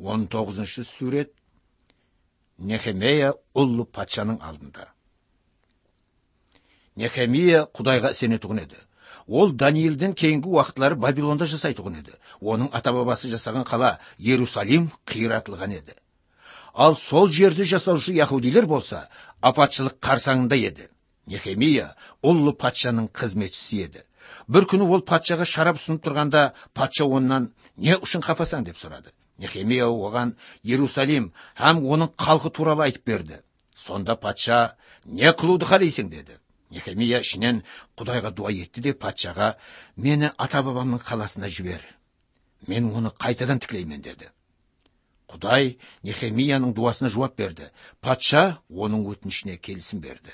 19-сүрет Нехемия уллу патшанын алдында. Нехемия Кудайга сенетугун эди. Ол Даниилдин кейинги убакытлары Бабилонда жасайтугун эди. Онун ата-бабасы жасаган кала Иерусалим кыйратылган эди. Ал сол жерди жасаушы яхудилер болса, апатчылык карсаңында эди. Нехемия уллу патшанын кызметчиси эди. Bir күнү ол патшага шарап сунуп турганда, патша ондан "Не ушун капасаң?" деп сурады. Нехемия оган Иерусалим һәм онун калкы тууралуу айтып берди. Сонда патша "Не кылууду каалайсың?" деди. Нехемия ишинен Кудайга дуа этти деп патшага "Мени ата-бабамдын каласына жибер. Мен оны кайтадан тиклеймен" деди. Кудай Нехемиянын дуасына жооп берди. Патша онун өтүнүшүнө келисим берди.